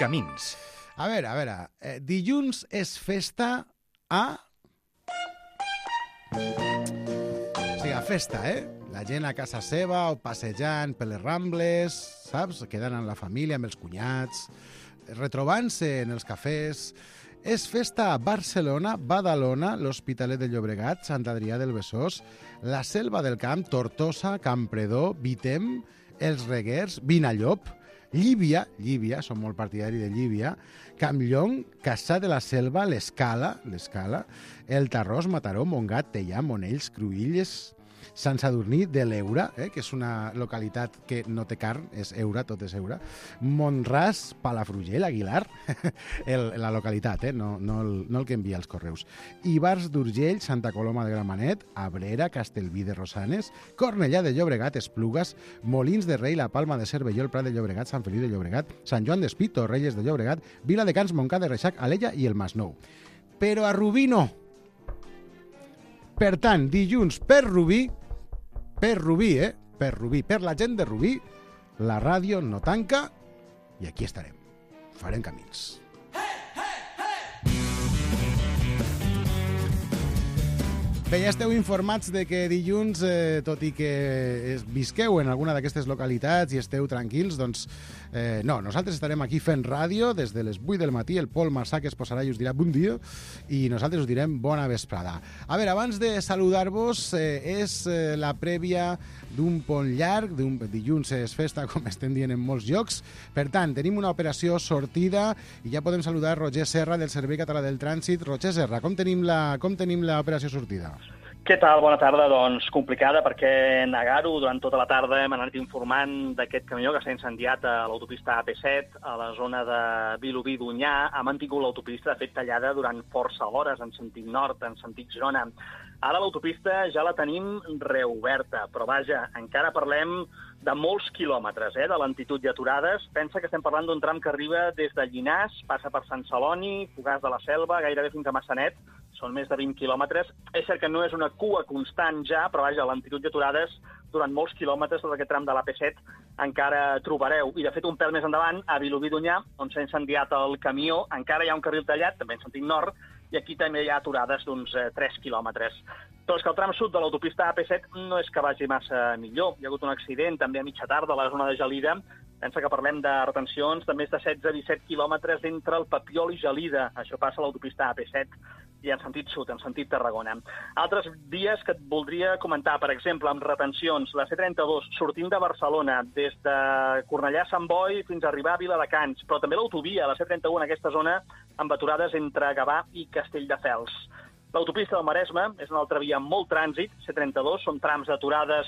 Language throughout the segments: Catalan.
Camins. A veure, dilluns és festa a... O sigui, a festa, La gent a casa seva o passejant per les Rambles, saps? Quedant amb la família, amb els cunyats, retrobant-se en els cafès. És festa a Barcelona, Badalona, l'Hospitalet de Llobregat, Sant Adrià del Besòs, la Selva del Camp, Tortosa, Campredó, Vitem, els Reguers, Vinallop, Llívia, som molt partidari de Llívia, Campllong, Cassà de la Selva, l'Escala, el Tarròs, Mataró, Montgat, Teià, Monells, Cruïlles, Sant Sadurní de l'Eura, que és una localitat que no té carn, és Eura, tot és Eura, Montràs, Palafrugell, Aguilar, la localitat, no el que envia els correus, Ivars d'Urgell, Santa Coloma de Gramenet, Abrera, Castellví de Rosanes, Cornellà de Llobregat, Esplugues, Molins de Rei, La Palma de Cervelló, el Prat de Llobregat, Sant Feliu de Llobregat, Sant Joan d'Espí, Torrelles de Llobregat, Vila de Cans, Montcada de Reixac, Alella i el Masnou. Però a Rubí no. Per tant, dilluns per Rubí, per la gent de Rubí, la ràdio no tanca i aquí estarem. Farem camins. Bé, ja esteu informats de que dilluns, tot i que visqueu en alguna d'aquestes localitats i esteu tranquils, doncs no, nosaltres estarem aquí fent ràdio des de les 8 del matí, el Pol Marsà que es posarà i us dirà bon dia i nosaltres us direm bona vesprada. A veure, abans de saludar-vos, és la prèvia d'un pont llarg, dilluns és festa, com estem dient en molts llocs, per tant, tenim una operació sortida i ja podem saludar Roger Serra del Servei Català del Trànsit. Roger Serra, com tenim l'operació sortida? Què tal? Bona tarda. Doncs complicada perquè negar-ho durant tota la tarda hem anat informant d'aquest camió que s'ha incendiat a l'autopista AP7 a la zona de Vilobí d'Onyar. Ha mantingut l'autopista, de fet, tallada durant força hores en sentit nord, en sentit Girona. Ara l'autopista ja la tenim reoberta, però vaja, encara parlem de molts quilòmetres de lentitud i aturades. Pensa que estem parlant d'un tram que arriba des de Llinars, passa per Sant Celoni, Fogars de la Selva, gairebé fins a Massanet. Són més de 20 quilòmetres. És cert que no és una cua constant ja, però vaja, lentitud i aturades durant molts quilòmetres tot aquest tram de l'AP7 encara trobareu. I de fet un pèl més endavant, a Vilobí d'Onyar, on s'ha incendiat el camió, encara hi ha un carril tallat, també en sentit nord, i aquí també hi ha aturades d'uns 3 quilòmetres. Però és que el tram sud de l'autopista AP7 no és que vagi massa millor. Hi ha hagut un accident també a mitja tarda a la zona de Gelida. Pensa que parlem de retencions de més de 16-17 quilòmetres entre el Papiol i Gelida. Això passa a l'autopista AP7 i en sentit sud, en sentit Tarragona. Altres vies que et voldria comentar, per exemple, amb retencions, la C32 sortint de Barcelona des de Cornellà a Sant Boi fins a arribar a Viladecans, però també l'autovia, la C31 en aquesta zona, amb aturades entre Gavà i Castelldefels. L'autopista del Maresme és una altra via amb molt trànsit, C32, són trams d'aturades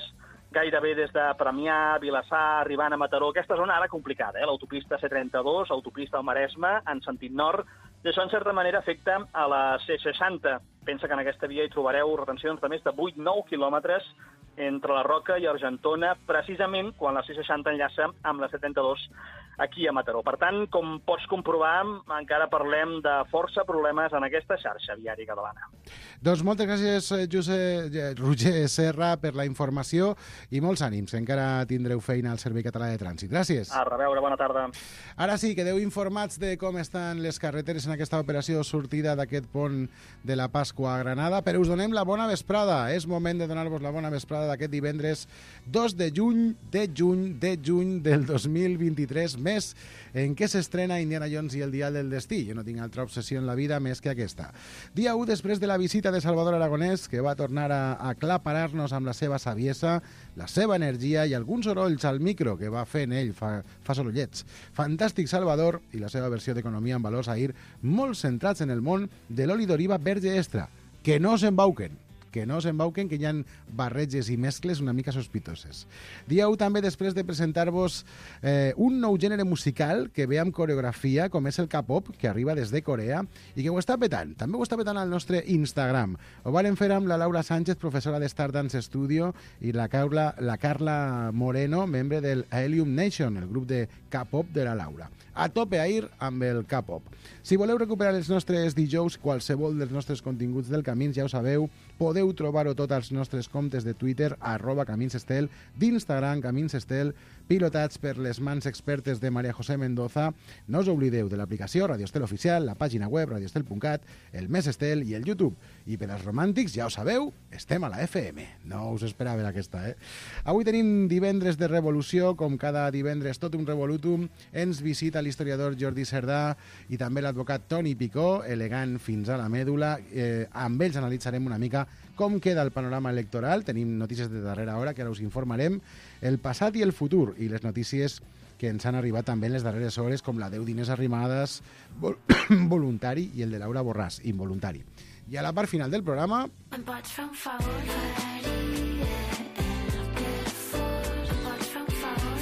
gairebé des de Premià, Vilassar, arribant a Mataró. Aquesta zona ara complicada, l'autopista C32, autopista del Maresme, en sentit nord, i això en certa manera afecta a la C60. Pensa que en aquesta via hi trobareu retencions de més de 8-9 quilòmetres entre la Roca i Argentona, precisament quan la C60 enllaça amb la C32 aquí a Mataró. Per tant, com pots comprovar, encara parlem de força problemes en aquesta xarxa viària catalana. Doncs moltes gràcies, Roger Serra, per la informació i molts ànims, que encara tindreu feina al Servei Català de Trànsit. Gràcies. A reveure, bona tarda. Ara sí, quedeu informats de com estan les carreteres en aquesta operació sortida d'aquest pont de la Pasqua a Granada, però us donem la bona vesprada. És moment de donar-vos la bona vesprada d'aquest divendres 2 de juny del 2023, mes en què s'estrena Indiana Jones i el dial del destí. Jo no tinc altra obsessió en la vida més que aquesta. Dia 1 després de la visita de Salvador Aragonès, que va tornar a aclaparar-nos amb la seva saviesa, la seva energia i alguns sorolls al micro que va fent ell, fa sorollets. Fantàstic Salvador i la seva versió d'Economia en Valors ahir, molt centrats en el món de l'oli d'oliva verge extra. Que no s'embauquen, que hi ha barreges i mescles una mica sospitoses. Dia 1 també després de presentar-vos un nou gènere musical que ve amb coreografia, com és el K-pop, que arriba des de Corea i que ho està petant. També ho està petant al nostre Instagram. Ho varen fer amb la Laura Sánchez, professora de Stardance Studio, i la Carla Moreno, membre del Helium Nation, el grup de K-pop de la Laura. A tope ahir amb el K-pop. Si voleu recuperar els nostres dijous, qualsevol dels nostres continguts del Camins, ja ho sabeu, podeu trobar-ho tot als nostres comptes de Twitter, @CaminsEstel, d'Instagram, CaminsEstel, pilotats per les mans expertes de María José Mendoza. No us oblideu de l'aplicació Radio Estel Oficial, la pàgina web radioestel.cat, el Més Estel i el YouTube. I per als romàntics, ja ho sabeu, estem a la FM. No us esperava aquesta, Avui tenim divendres de revolució, com cada divendres tot un revolutum. Ens visita l'historiador Jordi Cerdà i també l'advocat Toni Picó, elegant fins a la mèdula. Amb ells analitzarem una mica com queda el panorama electoral. Tenim notícies de darrera hora que ara us informarem, el passat i el futur, i les notícies que ens han arribat també en les darreres hores, com la de Diners Arrimadas, voluntari, i el de Laura Borràs, involuntari. I a la part final del programa...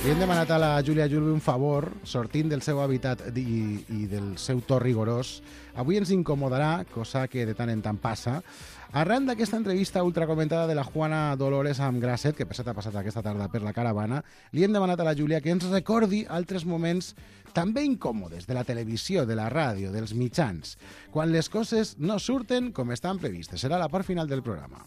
Li hem demanat a la Júlia Julve un favor, sortint del seu hàbitat i del seu to rigorós. Avui ens incomodarà, cosa que de tant en tant passa, arran d'aquesta entrevista ultracomentada de la Juana Dolores amb Grasset, que per cert ha passat aquesta tarda per la caravana, li hem demanat a la Júlia que ens recordi altres moments també incòmodes de la televisió, de la ràdio, dels mitjans, quan les coses no surten com estan previstes. Serà la part final del programa.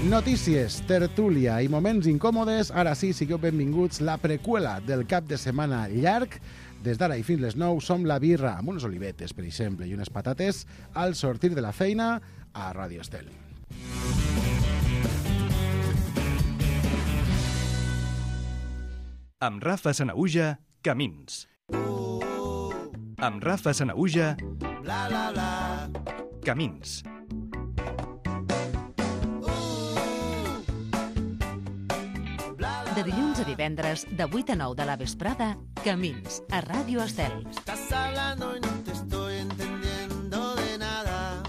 Notícies, tertúlia i moments incòmodes. Ara sí, sigueu benvinguts. La preqüela del cap de setmana llarg. Des d'ara i fins les 9 som la birra amb unes olivetes, per exemple, i unes patates al sortir de la feina a Radio Estel. Amb Rafa Sanahuja, Camins. Amb Rafa Sanahuja, Camins. De dilluns a divendres, de 8 a 9 de la vesprada, Camins, a Ràdio Estel. Estás hablando y no te estoy entendiendo de nada.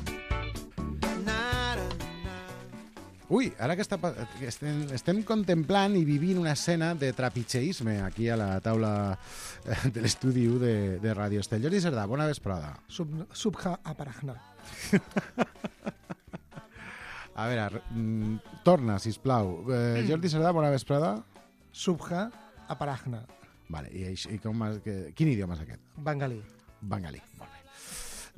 Nada. Ui, ara que estem contemplant i vivint una escena de trapitxeisme aquí a la taula de l'estudi 1 de Ràdio Estel. Jordi Cerdà, bona vesprada. Subha aparagna. A veure, torna, sisplau. Jordi Cerdà, bona vesprada. Subha aparagna. Vale, i quin idioma és aquest? Bengalí. Bengalí, molt bé.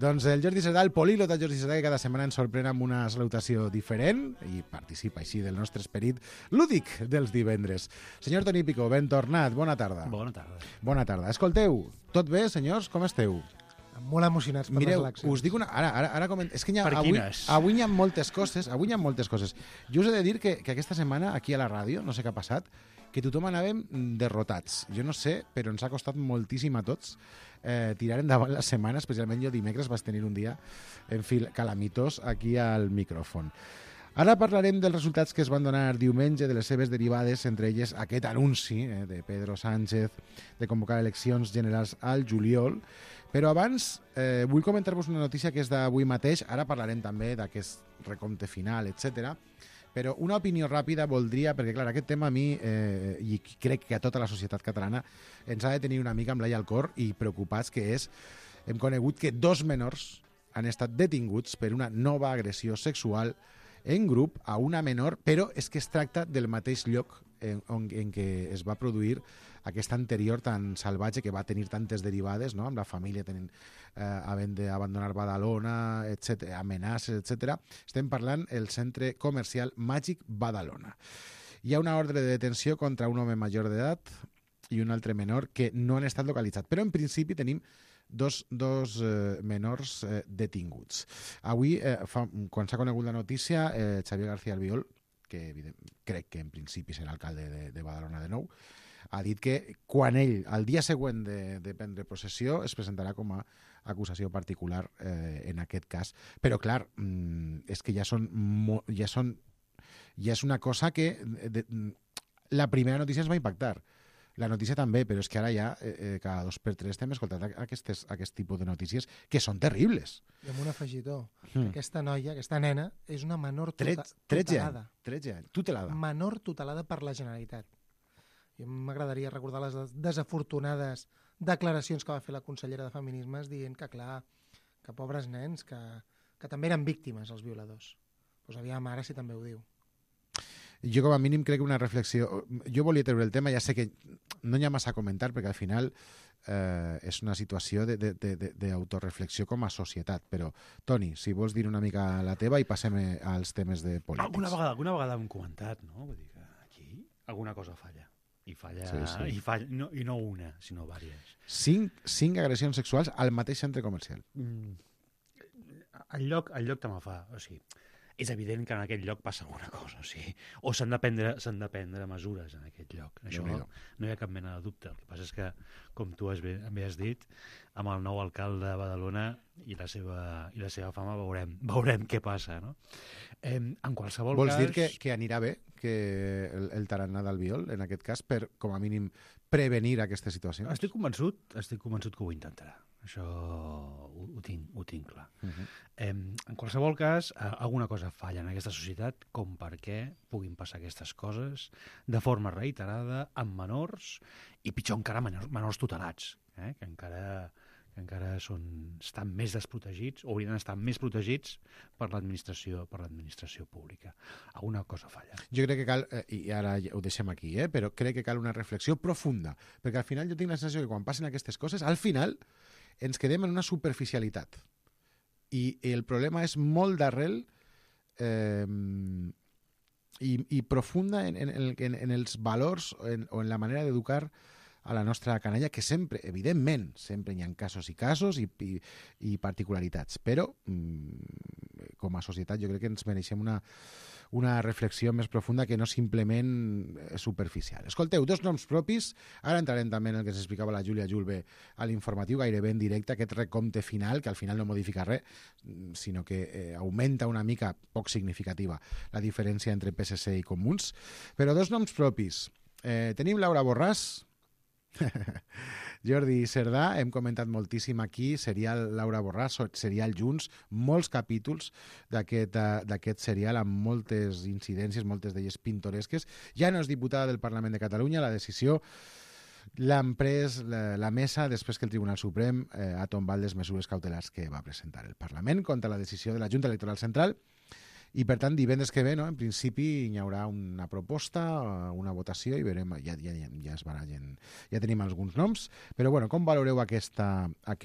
Doncs el Jordi Cerdà, el políglota Jordi Cerdà, que cada setmana ens sorprèn amb una salutació diferent i participa així del nostre esperit lúdic dels divendres. Senyor Toni Picó, ben tornat, bona tarda. Bona tarda. Bona tarda. Escolteu, tot bé, senyors? Com esteu? Molt emocionats per Mireu, les eleccions. us dic una... Ara és que Per quines? avui hi ha moltes coses. Jo us he de dir que aquesta setmana, aquí a la ràdio, no sé què ha passat, que tothom anàvem derrotats. Jo no sé, però ens ha costat moltíssim a tots tirar endavant la setmana, especialment jo dimecres vaig tenir un dia, en fi, calamitós aquí al micròfon. Ara parlarem dels resultats que es van donar diumenge, de les seves derivades, entre elles aquest anunci de Pedro Sánchez de convocar eleccions generals al juliol. Però abans vull comentar-vos una notícia que és d'avui mateix. Ara parlarem també d'aquest recompte final, etc. Però una opinió ràpida voldria, perquè clar, aquest tema a mi, i crec que a tota la societat catalana, ens ha de tenir una mica amb l'ai al cor i preocupats, que és, hem conegut que 2 menors han estat detinguts per una nova agressió sexual en grup a una menor, però és que es tracta del mateix lloc en què es va produir aquesta anterior tan salvatge, que va tenir tantes derivades, no? Amb la família havent d'abandonar Badalona, amenaces, etc. Estem parlant del centre comercial Màgic Badalona. Hi ha una ordre de detenció contra un home major d'edat i un altre menor que no han estat localitzats, però en principi tenim dos menors detinguts. Avui, quan s'ha conegut la notícia, Xavier García Albiol, que crec que en principi serà alcalde de Badalona de nou, ha dit que quan ell, el dia següent de prendre possessió, es presentarà com a acusació particular en aquest cas. Però, clar, és que ja és una cosa que la primera notícia ens va impactar. La notícia també, però és que ara ja cada 2 per 3 estem escoltant aquest tipus de notícies que són terribles. I amb un afegitó. Aquesta noia, aquesta nena, és una menor 13 anys, tutelada. Menor tutelada per la Generalitat. I m'agradaria recordar les desafortunades declaracions que va fer la consellera de Feminismes dient que, clar, que pobres nens, que també eren víctimes, els violadors. Doncs aviam, ara sí també ho diu. Jo com a mínim crec que una reflexió... Jo volia treure el tema, ja sé que no hi ha massa a comentar, perquè al final és una situació d'autoreflexió com a societat. Però, Toni, si vols dir una mica la teva i passem als temes de polítics. Alguna vegada hem comentat, no? Vull dir que aquí alguna cosa falla. I falla, Sí. i no una, sinó diverses. 5 agressions sexuals al mateix centre comercial. El lloc te me fa... O sigui, és evident que en aquest lloc passa alguna cosa, o sigui, o s'han de prendre mesures en aquest lloc. Això no hi ha cap mena de dubte. El que passa és que, com tu bé has dit, amb el nou alcalde de Badalona i la seva fama veurem què passa, no? En qualsevol Vols cas... dir que anirà bé que el tarannà d'Albiol, en aquest cas, per, com a mínim, prevenir aquestes situacions? Estic convençut que ho intentarà. Això ho tinc clar. En qualsevol cas, alguna cosa falla en aquesta societat com perquè puguin passar aquestes coses de forma reiterada amb menors i pitjor encara menors tutelats, que encara estan més desprotegits o haurien d'estar més protegits per l'administració pública. Alguna cosa falla. Jo crec que cal, i ara ho deixem aquí, però crec que cal una reflexió profunda, perquè al final jo tinc la sensació que quan passen aquestes coses, al final ens quedem en una superficialitat. I el problema és molt d'arrel i profunda en els valors o en la manera d'educar a la nostra canalla, que sempre, evidentment, sempre hi ha casos i particularitats, però com a societat jo crec que ens mereixem una reflexió més profunda que no simplement superficial. Escolteu, 2 noms propis, ara entrarem també en el que s'explicava la Júlia Julve a l'informatiu, gairebé en directe, aquest recompte final, que al final no modifica res, sinó que augmenta una mica, poc significativa, la diferència entre PSC i Comuns. Però 2 noms propis. Tenim Laura Borràs, Jordi Cerdà, hem comentat moltíssim aquí, serial Laura Borràs, serial Junts, molts capítols d'aquest serial amb moltes incidències, moltes d'elles pintoresques. Ja no és diputada del Parlament de Catalunya, la decisió l'han pres la mesa després que el Tribunal Suprem ha tombat les mesures cautelars que va presentar el Parlament contra la decisió de la Junta Electoral Central. I, per tant, divendres que ve, no? En principi, hi haurà una proposta, una votació, i veurem, ja es barallen, ja tenim alguns noms, però, bueno, com valoreu aquest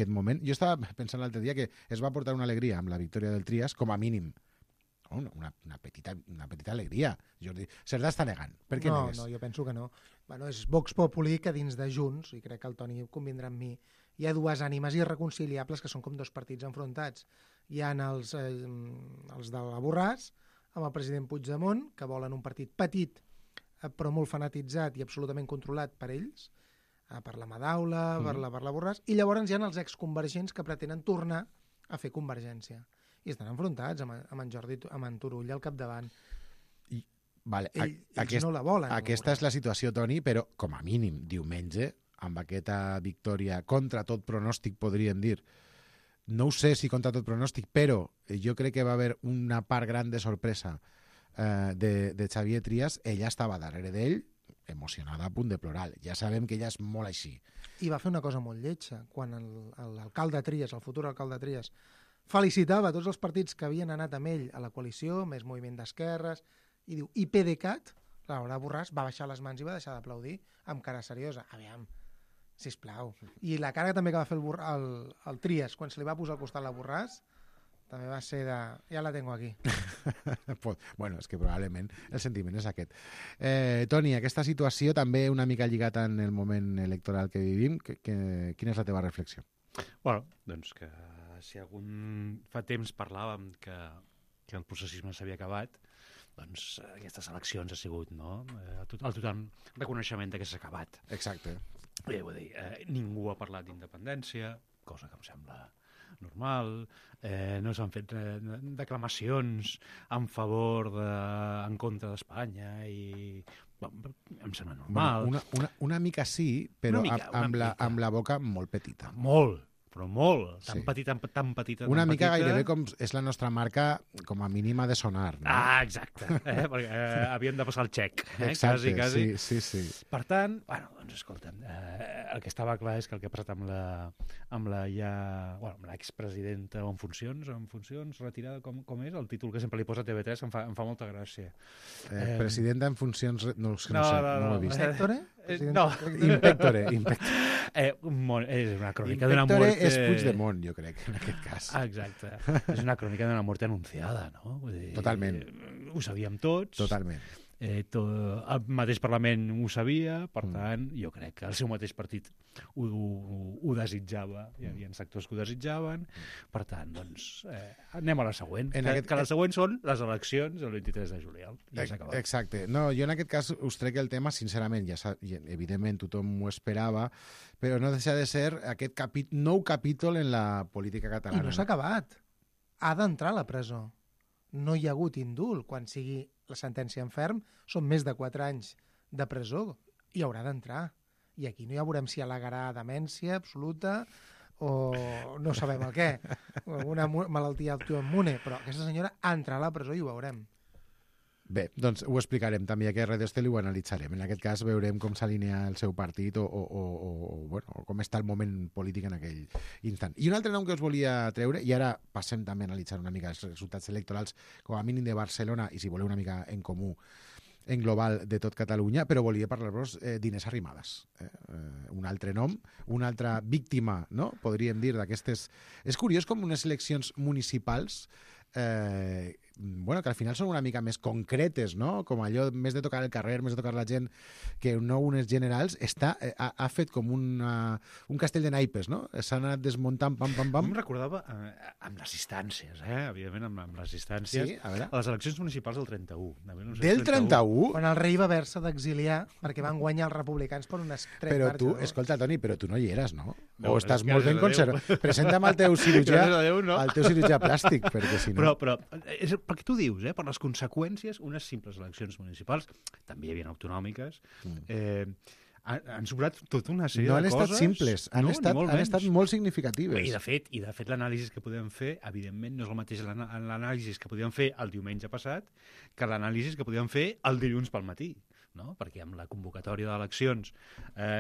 moment? Jo estava pensant l'altre dia que es va portar una alegria amb la victòria del Trias, com a mínim. Una petita alegria. Jordi Cerdà està negant. Per què negues? No, jo penso que no. Bueno, és Vox Populi que dins de Junts, i crec que el Toni convindrà amb mi, hi ha 2 ànimes irreconciliables que són com 2 partits enfrontats. Hi ha els de la Borràs, amb el president Puigdemont, que volen un partit petit, però molt fanatitzat i absolutament controlat per ells, per la Madaula, per la Borràs, i llavors hi ha els exconvergents que pretenen tornar a fer convergència. I estan enfrontats amb en Jordi, amb en Turull al capdavant. Vale, ells no la volen. Aquesta és la situació, Toni, però com a mínim diumenge, amb aquesta victòria contra tot pronòstic, podríem dir, no ho sé si contra tot pronòstic, però jo crec que va haver una part gran de sorpresa de Xavier Trias. Ella estava darrere d'ell, emocionada a punt de plorar. Ja sabem que ella és molt així. I va fer una cosa molt lletja. Quan l'alcalde Trias, el futur alcalde Trias, felicitava tots els partits que havien anat amb ell a la coalició, més moviment d'esquerres, i diu, i PDeCAT, Laura Borràs va baixar les mans i va deixar d'aplaudir amb cara seriosa. Aviam, sisplau. I la cara també que va fer el Trias quan se li va posar al costat la Borràs també va ser de... ja la tengo aquí. Bueno, és que probablement el sentiment és aquest. Toni, aquesta situació també una mica lligada en el moment electoral que vivim. Quina és la teva reflexió? Bueno, doncs que si fa temps parlàvem que el processisme s'havia acabat, doncs aquestes eleccions ha sigut, no? El total reconeixement que s'ha acabat. Exacte. Vull dir, ningú ha parlat d'independència, cosa que em sembla normal, no s'han fet declamacions en en contra d'Espanya i em sembla normal. Bueno, una mica sí, però amb la boca molt petita. Molt, però molt, tan petita. Una mica gairebé com és la nostra marca com a mínima de sonar. No? Exacte, perquè havíem de passar el xec. Exacte, quasi. Sí. Per tant, bueno, doncs escolta'm, el que estava clar és que el que ha passat amb l'expresidenta en funcions, retirada, com és? El títol que sempre li posa TV3 em fa molta gràcia. Presidenta en funcions... No ho he vist. Impectore? No. Impectore. És una crònica d'una mort... és Puigdemont, jo crec, en aquest cas. Exacte. És una crònica d'una mort anunciada, no? Vull dir, totalment. Ho sabíem tots. Totalment. el mateix Parlament ho sabia, per tant, jo crec que el seu mateix partit ho desitjava, hi havia sectors que ho desitjaven, per tant, doncs, anem a la següent, que la següent són les eleccions el 23 de juliol. Ja s'ha acabat. Exacte. No, jo en aquest cas us trec el tema, sincerament, evidentment tothom ho esperava, però no deixa de ser aquest nou capítol en la política catalana. I no s'ha acabat. Ha d'entrar a la presó. No hi ha hagut indult. Quan sigui la sentència en ferm, són més de 4 anys de presó i haurà d'entrar. I aquí no ja veurem si al·legarà demència absoluta o no sabem el què, o alguna malaltia autoimmune, però aquesta senyora entrarà a la presó i ho veurem. Bé, doncs ho explicarem també aquí a Radio Estel i ho analitzarem. En aquest cas veurem com s'alinea el seu partit o com està el moment polític en aquell instant. I un altre nom que us volia treure, i ara passem també a analitzar una mica els resultats electorals, com a mínim de Barcelona, i si voleu una mica en comú, en global de tot Catalunya, però volia parlar-vos d'Inés Arrimadas. Un altre nom, una altra víctima, no? Podríem dir, d'aquestes... És curiós com unes eleccions municipals que al final són una mica més concretes, no? Com allò, més de tocar el carrer, més de tocar la gent, que no unes generals, ha fet com un castell de naipes, no? S'ha anat desmuntant, pam. Em recordava amb les instàncies, evidentment, amb les instàncies, sí, a les eleccions municipals del 31. Del 31? Quan el rei va haver-se d'exiliar perquè van guanyar els republicans per unes 3 però marxes. Tu, escolta, Toni, però tu no hi eres, no? No, o estàs molt ben conservat. Presenta'm al teu cirurgià, al teu cirurgià plàstic, perquè si no... Però perquè tu dius, per les conseqüències, unes simples eleccions municipals, també hi havia autonòmiques, han sobrat tota una sèrie de coses... No han estat simples, han estat molt significatives. I de fet l'anàlisi que podem fer, evidentment, no és el mateix l'anàlisi que podíem fer el diumenge passat que l'anàlisi que podíem fer el dilluns pel matí, no? Perquè amb la convocatòria d'eleccions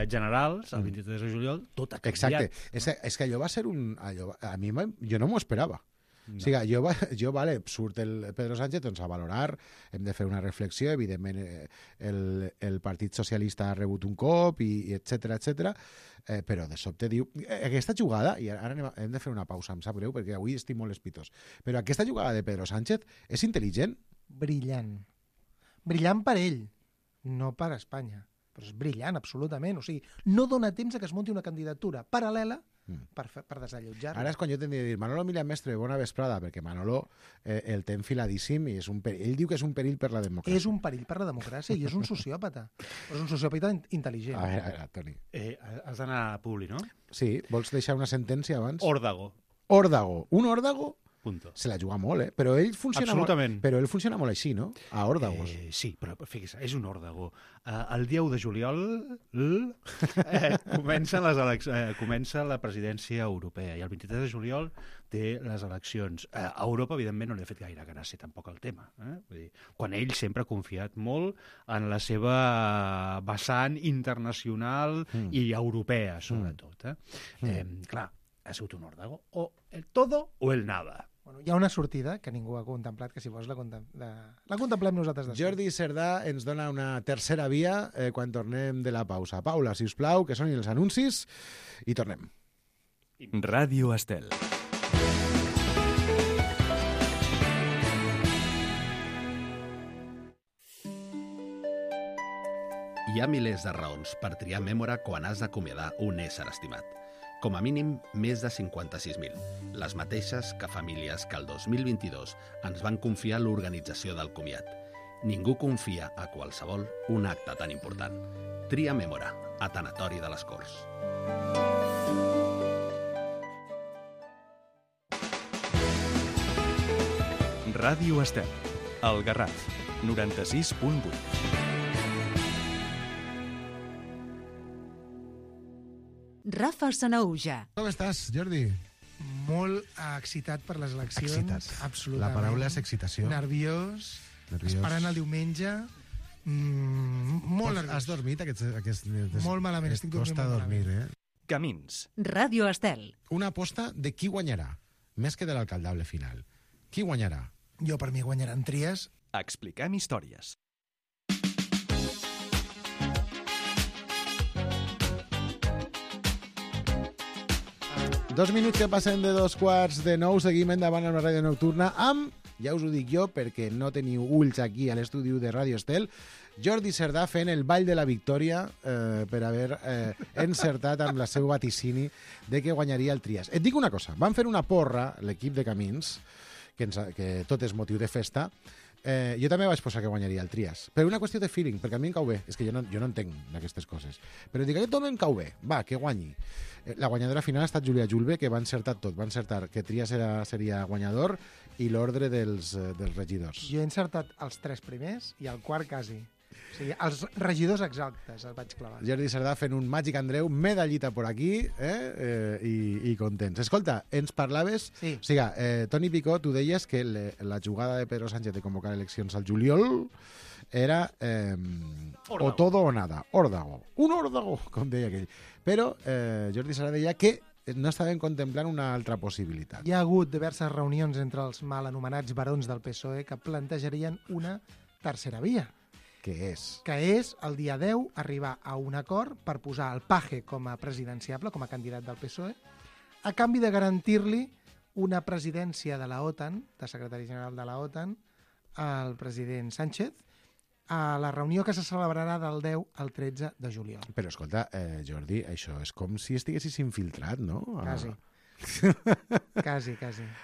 generals, el 23 de juliol, tot ha canviat. Exacte. És que allò va ser un... Jo no m'ho esperava. No. O sigui, surt el Pedro Sánchez doncs, a valorar, hem de fer una reflexió, evidentment el Partit Socialista ha rebut un cop, i etcètera, però de sobte diu... Aquesta jugada, i ara hem de fer una pausa, em sap greu, perquè avui estic molt espitós, però aquesta jugada de Pedro Sánchez és intel·ligent? Brillant. Brillant per ell, no per Espanya. Però és brillant, absolutament. O sigui, no dona temps a que es munti una candidatura paral·lela per desallotjar-lo. Ara és quan jo tindria de dir Manolo Milian Mestre, bona vesprada, perquè Manolo el té enfiladíssim i ell diu que és un perill per la democràcia. És un perill per la democràcia i és un sociòpata. És un sociòpata intel·ligent. A veure, Toni. Has d'anar a Publi, no? Sí, vols deixar una sentència abans? Òrdago. Un òrdago? Punto. Se la juga molt, però ell funciona molt així, no? A òrdagos. Sí, però fixa't, és un òrdago. El dia 1 de juliol comença la presidència europea i el 23 de juliol té les eleccions. A Europa, evidentment, no li ha fet gaire gràcia tampoc el tema. Vull dir, quan ell sempre ha confiat molt en la seva vessant internacional i europea, sobretot. Clar, ha sigut un òrdago. O el todo o el nada. Bueno, hi ha una sortida que ningú ha contemplat, que si vols la contemplem nosaltres després. Jordi Cerdà ens dona una tercera via quan tornem de la pausa. Paula, si us plau, que sonin els anuncis, i tornem. Ràdio Estel. Hi ha milers de raons per triar Mémora quan has d'acomiadar un ésser estimat. Com a mínim, més de 56.000. Les mateixes que famílies que el 2022 ens van confiar l'organització del comiat. Ningú confia a qualsevol un acte tan important. Tria Mémora, a Tanatori de les Corts. Ràdio Estel. El Garraf, 96.8. Rafa Sanahuja. Com estàs, Jordi? Molt excitat per les eleccions. Excitat. Absolutament. La paraula és excitació. Nerviós. Esperant el diumenge. Molt nerviós. Has dormit aquest... Molt malament, estic dormint costa molt dormir, malament. Camins. Ràdio Estel. Una aposta de qui guanyarà, més que de l'alcaldable final. Qui guanyarà? Jo, per mi, guanyaran Trias. Expliquem històries. Dos minuts que passen de 2:15, seguim endavant amb la ràdio nocturna amb ja us ho dic jo perquè no teniu ulls aquí a l'estudi de Ràdio Estel, Jordi Cerdà fent el ball de la victòria per haver encertat amb la seu vaticini de que guanyaria el Trias. Et dic una cosa, van fer una porra, l'equip de Camins, que tot és motiu de festa. Jo també vaig posar que guanyaria el Trias, per una qüestió de feeling, perquè a mi em cau bé, és que jo no entenc d'aquestes coses, però dic, aquest home em cau bé, va, que guanyi. La guanyadora final ha estat Júlia Julve, que va encertar tot, va encertar que Trias seria guanyador i l'ordre dels regidors. Jo he encertat els 3 primers i el quart quasi. O sigui, els regidors exactes els vaig clavar. Jordi Cerdà fent un Màgic Andreu, medallita por aquí, i contents. Escolta, ens parlaves... Sí. O sigui, Toni Picó, tu deies que la jugada de Pedro Sánchez de convocar eleccions al juliol era o todo o nada, órdago. Un órdago, com deia aquell. Però Jordi Cerdà deia que no estaven contemplant una altra possibilitat. Hi ha hagut diverses reunions entre els mal anomenats barons del PSOE que plantejarien una tercera via. Què és? Que és, el dia 10, arribar a un acord per posar el Paje com a presidenciable, com a candidat del PSOE, a canvi de garantir-li una presidència de la OTAN, de secretari general de la OTAN, al president Sánchez, a la reunió que se celebrarà del 10 al 13 de juliol. Però escolta, Jordi, això és com si estiguessis infiltrat, no? Quasi. Quasi.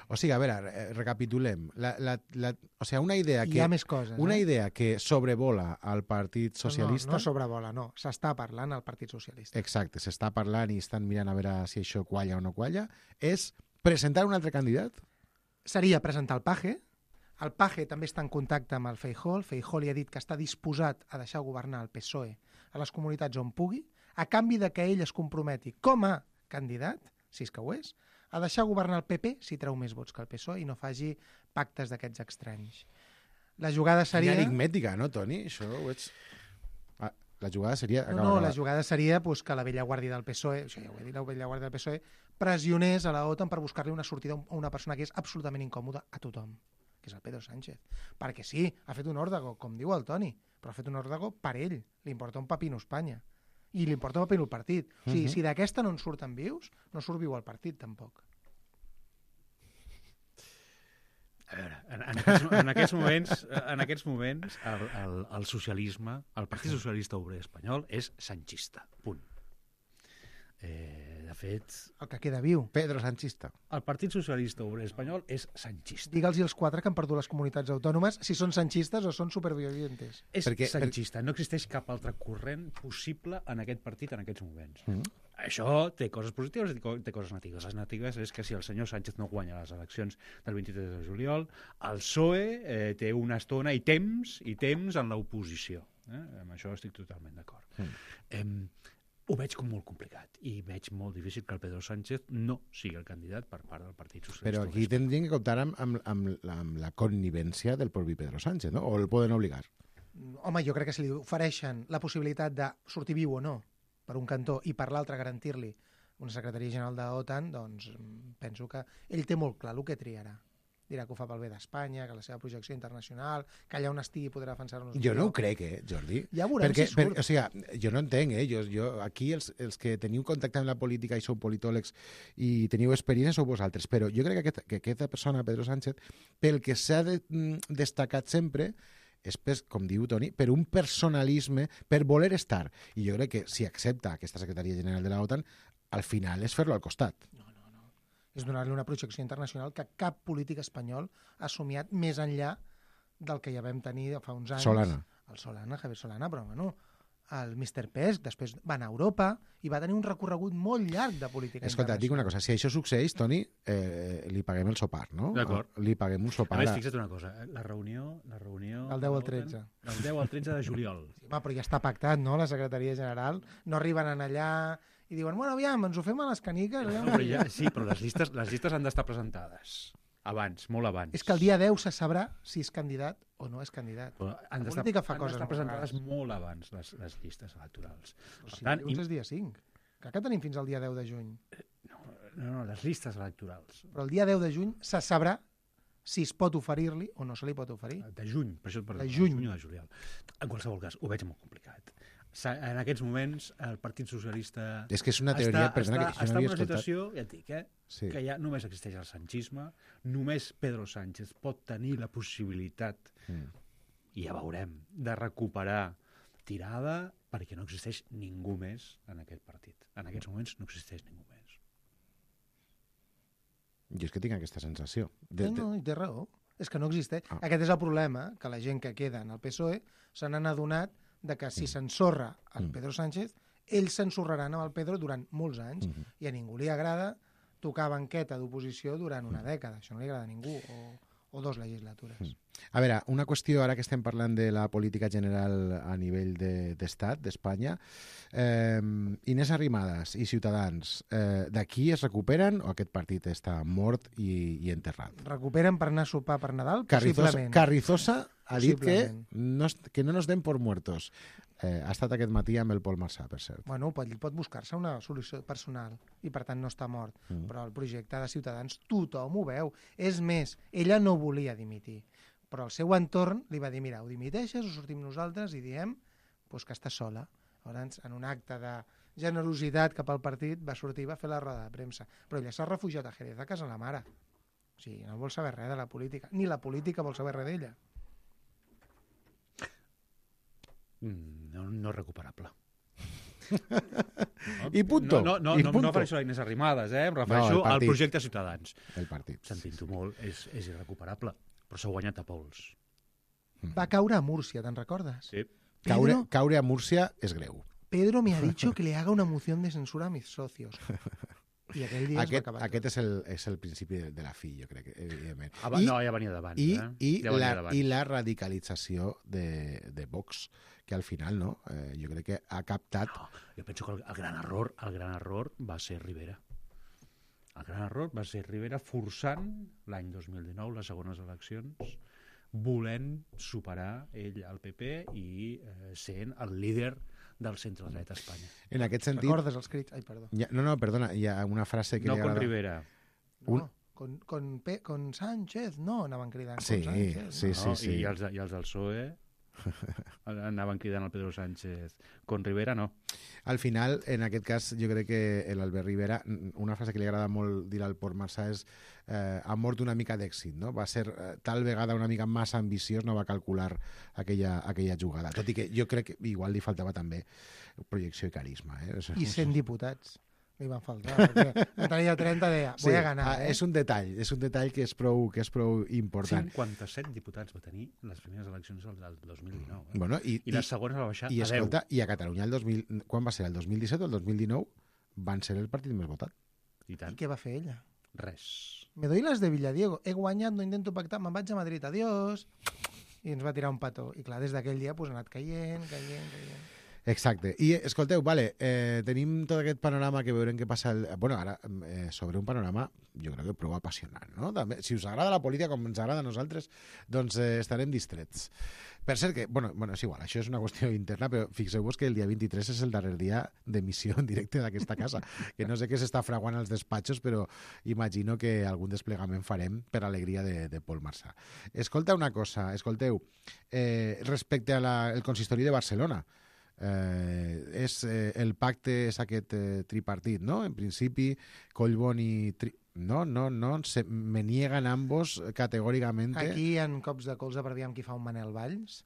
O sigui, a veure, recapitulem. O sigui, una idea Hi ha més coses. Una idea que sobrevola al Partit Socialista... No sobrevola, no. S'està parlant al Partit Socialista. Exacte, s'està parlant i estan mirant a veure si això qualla o no qualla. És presentar un altre candidat? Seria presentar el Paje. El Paje també està en contacte amb el Feijóo. El Feijóo li ha dit que està disposat a deixar governar el PSOE a les comunitats on pugui, a canvi de que ell es comprometi com a candidat, si és que ho és, a deixar governar el PP si treu més vots que el PSOE i no faci pactes d'aquests estranys. La jugada seria... Enigmètica, no, Toni? Això ho ets... La jugada seria... la jugada seria que la vella guàrdia del PSOE, això ja ho he dit, la vella guàrdia del PSOE, pressionés a la OTAN per buscar-li una sortida a una persona que és absolutament incòmoda a tothom, que és el Pedro Sánchez. Perquè sí, ha fet un òrdago, com diu el Toni, però ha fet un òrdago per ell. Li importa un pepino Espanya. I li importa un pepino el partit. O sigui, si d'aquesta no en surten vius, no surt viu el partit, tampoc. A veure, en aquests moments el socialisme, el Partit Socialista Obrer Espanyol és sanchista, punt. De fet... El que queda viu. Pedro Sanchista. El Partit Socialista Obrer Espanyol és sanchista. Digue'ls els 4 que han perdut les comunitats autònomes si són sanchistes o són supervivientes. És sanchista. No existeix cap altre corrent possible en aquest partit en aquests moments. Això té coses positives i té coses negatives. Les negatives és que si el senyor Sánchez no guanya les eleccions del 23 de juliol, el PSOE té una estona i temps en l'oposició. Amb això estic totalment d'acord. Ho veig com molt complicat i veig molt difícil que el Pedro Sánchez no sigui el candidat per part del Partit Socialista. Però aquí tindrien que comptar amb la connivència del propi Pedro Sánchez, no? O el poden obligar? Home, jo crec que si li ofereixen la possibilitat de sortir viu o no per un cantó i per l'altre garantir-li una secretaria general de l'OTAN, doncs penso que ell té molt clar el que triarà. Dirà que ho fa pel bé d'Espanya, que la seva projecció internacional, que allà on estigui podrà defensar-nos. Jo no ho crec, Jordi. Ja veurem si surt. O sigui, jo no entenc, jo aquí els que teniu contacte amb la política i sou politòlegs i teniu experiència sou vosaltres, però jo crec que aquesta persona, Pedro Sánchez, pel que s'ha destacat sempre és, com diu Toni, per un personalisme, per voler estar. I jo crec que si accepta aquesta secretaria general de la OTAN, al final és fer-lo al costat. És donar-li una projecció internacional que cap polític espanyol ha somiat més enllà del que ja vam tenir fa uns anys. Javier Solana, però bueno, el Mr. Pesc, després va anar a Europa i va tenir un recorregut molt llarg de política internacional. Escolta, et dic una cosa, si això succeeix, Toni, li paguem el sopar, no? D'acord. Li paguem un sopar. A més, fixa't una cosa, la reunió... El 10 al 13. El 10 al 13 de juliol. Sí, però ja està pactat, no?, la secretaria general. No arriben allà i diuen, bueno, aviam, ens ho fem a les caniques. Sí, però les llistes han d'estar presentades abans, molt abans. És que el dia 10 se sabrà si és candidat o no és candidat. Han d'estar presentades molt abans, les llistes electorals. Per tant, és dia 5. Que tenim fins al dia 10 de juny. No, les llistes electorals. Però el dia 10 de juny se sabrà si es pot oferir-li o no se li pot oferir. De juny, per això de juny o de juliol. En qualsevol cas, ho veig molt complicat. En aquests moments, el Partit Socialista... És que és una teoria... Està en una situació, ja et dic, Sí. que ja només existeix el sanchisme, només Pedro Sánchez pot tenir la possibilitat, i ja veurem, de recuperar tirada perquè no existeix ningú més en aquest partit. En aquests moments no existeix ningú més. Jo és que tinc aquesta sensació. No, té raó. És que no existeix. Aquest és el problema, que la gent que queda en el PSOE se n'han adonat de que si s'ensorra el Pedro Sánchez, ells s'ensorraran amb el Pedro durant molts anys i a ningú li agrada tocar banqueta d'oposició durant una dècada. Això no li agrada a ningú, o 2 legislatures. A veure, una qüestió, ara que estem parlant de la política general a nivell d'estat, d'Espanya, Inés Arrimadas i Ciutadans, d'aquí es recuperen o aquest partit està mort i enterrat? Recuperen per anar a sopar per Nadal? Possiblement. Carrizosa ha dit que no nos den por muertos. Ha estat aquest matí amb el Pol Marsà, per cert. Bueno, pot buscar-se una solució personal i per tant no està mort. Però el projecte de Ciutadans tothom ho veu. És més, ella no volia dimitir, però el seu entorn li va dir, mira, ho dimiteixes, ho sortim nosaltres i diem que està sola. Llavors, en un acte de generositat cap al partit, va sortir i va fer la roda de premsa. Però ella s'ha refugiat a Jerez, a casa la mare. O sigui, no vol saber res de la política. Ni la política vol saber res d'ella. No recuperable. I punto. No refereixo a Inés Arrimadas, em refereixo al projecte Ciutadans. El partit. Sentint-ho molt, és irrecuperable, però s'ha guanyat a pols. Va caure a Múrcia, te'n recordes? Sí. Caure a Múrcia és greu. Pedro me ha dicho que le haga una moción de censura a mis socios. I aquell dia aquest és el principi de la fi, jo crec, evidentment. No, ja venia d'abans. I la radicalització de Vox, que al final, no, jo crec que ha captat... No, jo penso que el gran error va ser Rivera. El gran error va ser Rivera forçant l'any 2019, les segones eleccions, volent superar ell al PP i sent el líder del centre-dret a Espanya. En aquest sentit... Recordes els crits? Ai, perdó. Perdona, hi ha una frase que... No con Rivera. No, con Sánchez, no, anaven cridant. Sí. I els del PSOE anaven cridant el Pedro Sánchez. Con Rivera, no. Al final, en aquest cas, jo crec que l'Albert Rivera, una frase que li agrada molt dir al Pol Marsà és ha mort una mica d'èxit, no? Va ser tal vegada una mica massa ambiciós, no va calcular aquella jugada. Tot i que jo crec que igual li faltava també projecció i carisma. I 100 diputats li van faltar, perquè no tenia 30, deia, voy a ganar. És un detall que és prou important. 57 diputats va tenir les primeres eleccions del 2019. Bueno, I les segones va baixar a 10. Escolta, i a Catalunya, quan va ser? El 2017 o el 2019? Van ser el partit més votat. I què va fer ella? Res. Me doy las de Villadiego. He guanyat, no intento pactar, me'n vaig a Madrid, adiós. I ens va tirar un petó. I clar, des d'aquell dia ha anat caient. Exacte. I, escolteu, tenim tot aquest panorama que veurem què passa... Ara, sobre un panorama, jo crec que prou apassionant, no? També, si us agrada la política com ens agrada a nosaltres, doncs estarem distrets. Per cert que, és igual, això és una qüestió interna, però fixeu-vos que el dia 23 és el darrer dia d'emissió en directe d'aquesta casa, que no sé què s'està fraguant als despatxos, però imagino que algun desplegament farem per alegria de Pol Marsà. Escolta una cosa, respecte al consistori de Barcelona, el pacte és aquest tripartit, no? En principi, Collboni... No, me niegan ambos categóricamente. Aquí hi ha cops de colze per aviam qui fa un Manel Valls.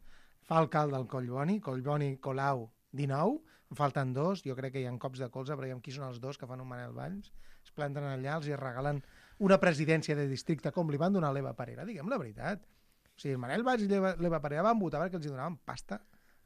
Fa alcalde el Collboni, Colau, 19, en falten 2, jo crec que hi ha cops de colze per aviam qui són els 2 que fan un Manel Valls. Es planten allà, els regalen una presidència de districte com li van donar a l'Eva Parera, diguem la veritat. O sigui, el Manel Valls i l'Eva Parera van votar perquè els donaven pasta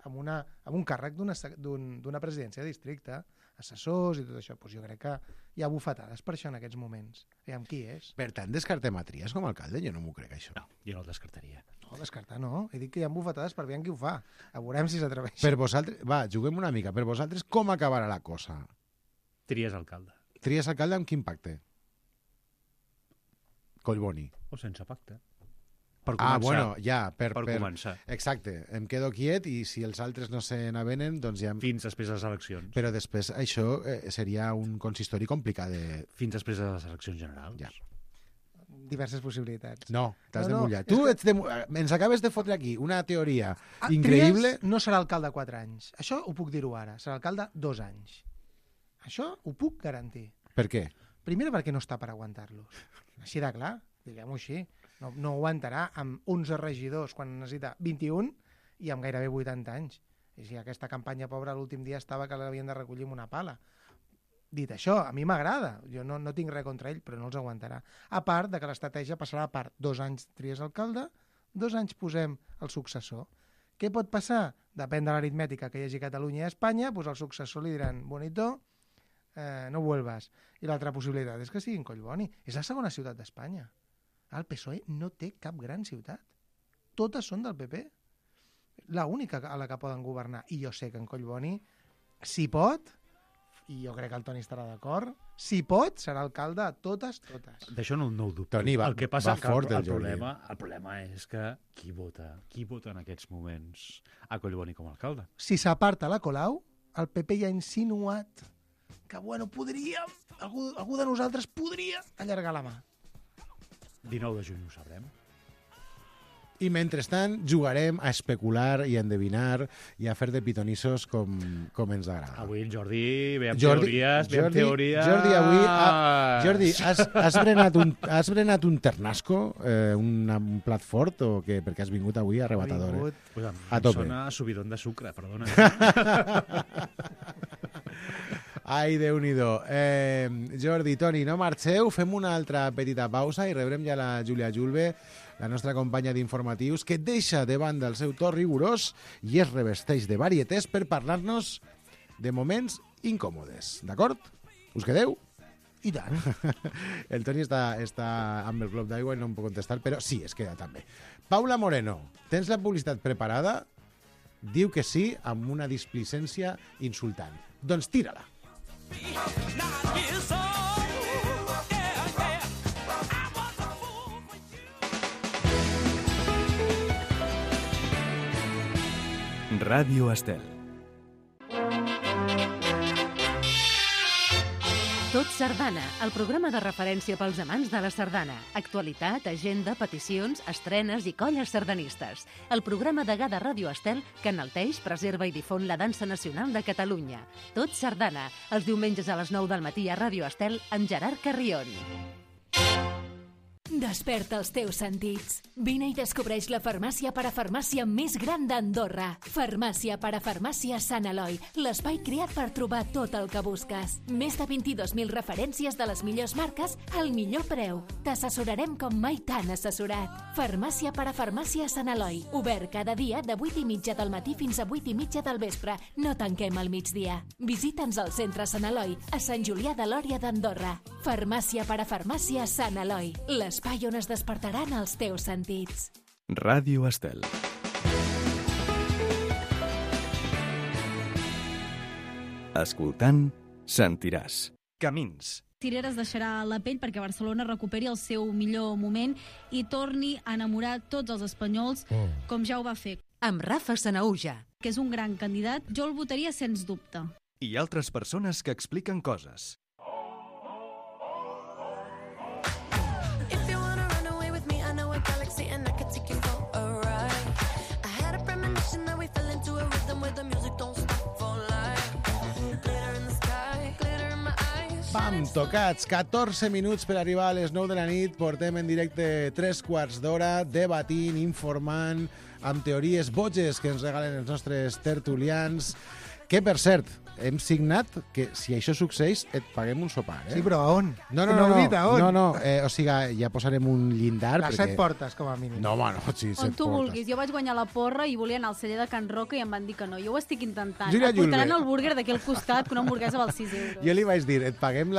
amb un càrrec d'una presidència de districte, assessors i tot això. Doncs jo crec que hi ha bufetades per això en aquests moments. Aviam qui és. Per tant, descartem a Trias com a alcalde? Jo no m'ho crec, això. No, jo no el descartaria. No, descartar no. He dit que hi ha bufetades per aviam qui ho fa. A veurem si s'atreveix. Per vosaltres, juguem una mica. Per vosaltres, com acabarà la cosa? Trias alcalde. Trias alcalde amb quin pacte? Collboni. O sense pacte. Per començar. Per començar. Exacte, em quedo quiet i si els altres no se n'avenen, doncs ja... Fins després de les eleccions. Però després això seria un consistori complicat de... Fins després de les eleccions generals. Ja. diverses possibilitats. No, t'has de No, no, mullar. és Tu que- ens acabes de fotre aquí una teoria increïble. Trias no serà alcalde 4 anys. Això ho puc dir-ho ara. Serà alcalde 2 anys. Això ho puc garantir. Per què? Primer perquè no està per aguantar-los. Així de clar, diguem-ho així. No aguantarà amb 11 regidors quan necessita 21 i amb gairebé 80 anys. I si aquesta campanya pobra l'últim dia estava que l'havien de recollir amb una pala. Dit això, a mi m'agrada. Jo no tinc res contra ell, però no els aguantarà. A part de que l'estratègia passarà per 2 anys tries alcalde, 2 anys posem el successor. Què pot passar? Depèn de l'aritmètica que hi hagi a Catalunya i a Espanya, doncs al successor li diran, bonito, no vuelvas. I l'altra possibilitat és que sigui en Collboni. És la segona ciutat d'Espanya. El PSOE no té cap gran ciutat. Totes són del PP. La única a la que poden governar. I jo sé que en Collboni, si pot, i jo crec que el Toni estarà d'acord, si pot, serà alcalde a totes. D'això no ho dubto. Toni, va- el que passa va que fort el el Jordi. problema és que qui vota en aquests moments a Collboni com a alcalde? Si s'aparta la Colau, el PP ja ha insinuat que, bueno, podríem, algú de nosaltres podria allargar la mà. 19 de juny ho sabrem. I mentrestant jugarem a especular i a endevinar i a fer de pitonissos com ens agrada. Avui el Jordi ve amb Jordi, teories. Jordi, avui... Jordi, has berenat un ternasco, un plat fort, o què? Perquè has vingut avui arrebatador, Pues A tope. Sona subidon de sucre, perdona. Ai, Déu-n'hi-do. Jordi, Toni, no marxeu, fem una altra petita pausa i rebrem ja la Júlia Julve, la nostra companya d'informatius, que deixa de banda el seu to rigorós i es revesteix de varietés per parlar-nos de moments incòmodes. D'acord? Us quedeu? I tant. El Toni està amb el glob d'aigua i no em pot contestar, però sí, es queda també. Paula Moreno, tens la publicitat preparada? Diu que sí, amb una displicència insultant. Doncs tira-la. Ràdio Estel. Tot Sardana, el programa de referència pels amants de la sardana. Actualitat, agenda, peticions, estrenes i colles sardanistes. El programa degà de Ràdio Estel que enalteix, preserva i difon la dansa nacional de Catalunya. Tot Sardana, els diumenges a les 9 del matí a Ràdio Estel amb Gerard Carrion. Desperta els teus sentits. Vine i descobreix la farmàcia parafarmàcia més gran d'Andorra. Farmàcia parafarmàcia Sant Eloi, l'espai creat per trobar tot el que busques. Més de 22.000 referències de les millors marques al millor preu. T'assessorarem com mai t'han assessorat. Farmàcia parafarmàcia Sant Eloi, obert cada dia de 8:30 del matí fins a 8:30 del vespre. No tanquem al migdia. Visita'ns al centre Sant Eloi, a Sant Julià de Lòria d'Andorra. Farmàcia parafarmàcia Sant Eloi, l'espai on es despertaran els teus sentits. Ràdio Estel. Escoltant, sentiràs. Camins. Cireres deixarà la pell perquè Barcelona recuperi el seu millor moment i torni a enamorar tots els espanyols, com ja ho va fer. Amb Rafa Sanauja. Que és un gran candidat, jo el votaria sens dubte. I altres persones que expliquen coses. Pam, tocats, 14 minuts per arribar a les 9 de la nit. Portem en directe 3/4 d'hora, debatint, informant, amb teories boges que ens regalen els nostres tertulians. Que, per cert, hem signat que si això succeeix et paguem un sopar, eh? Sí, però a on? No, o sigui, ja posarem un llindar. Les 7 portes, com a mínim. No, home, no, sí, 7 On tu portes. vulguis. Jo vaig guanyar la porra i volia anar al celler de Can Roca i em van dir que no. Jo ho estic intentant. Júlia Et portaran Julve. el búrguer d'aquí al costat, que una hamburguesa val 6 euros. Jo li vaig dir, et paguem